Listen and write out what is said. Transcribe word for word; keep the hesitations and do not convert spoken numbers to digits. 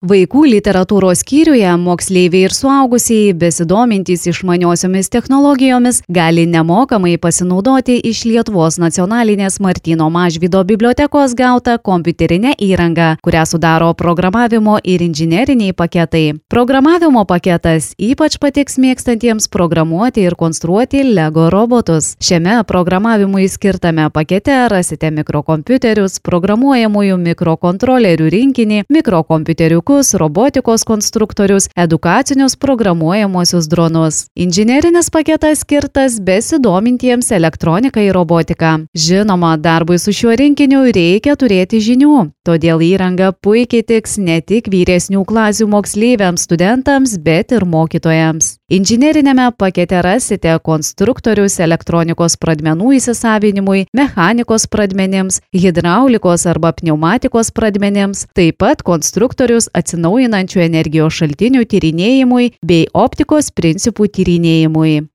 Vaikų literatūros skyriuje moksleiviai ir suaugusieji besidomintys išmaniosiomis technologijomis gali nemokamai pasinaudoti iš Lietuvos nacionalinės Martyno Mažvydo bibliotekos gautą kompiuterinę įrangą, kurią sudaro programavimo ir inžineriniai paketai. Programavimo paketas ypač patiks mėgstantiems programuoti ir konstruoti Lego robotus. Šiame programavimui skirtame pakete rasite mikrokompiuterius, programuojamųjų mikrokontrolerių rinkinį, mikrokompiuterių robotikos konstruktorius, edukacinius programuojamosius dronus. Inžinerinis paketas skirtas besidomintiems elektroniką ir robotiką. Žinoma, darbui su šiuo rinkiniu reikia turėti žinių, todėl įranga puikiai tiks ne tik vyresnių klasių moksleiviams, studentams, bet ir mokytojams. Inžinerinėme pakete rasite konstruktorius elektronikos pradmenų įsisavinimui, mechanikos pradmenims, hidraulikos arba pneumatikos pradmenims, taip pat konstruktorius atsinaujinančių energijos šaltinių tyrinėjimui bei optikos principų tyrinėjimui.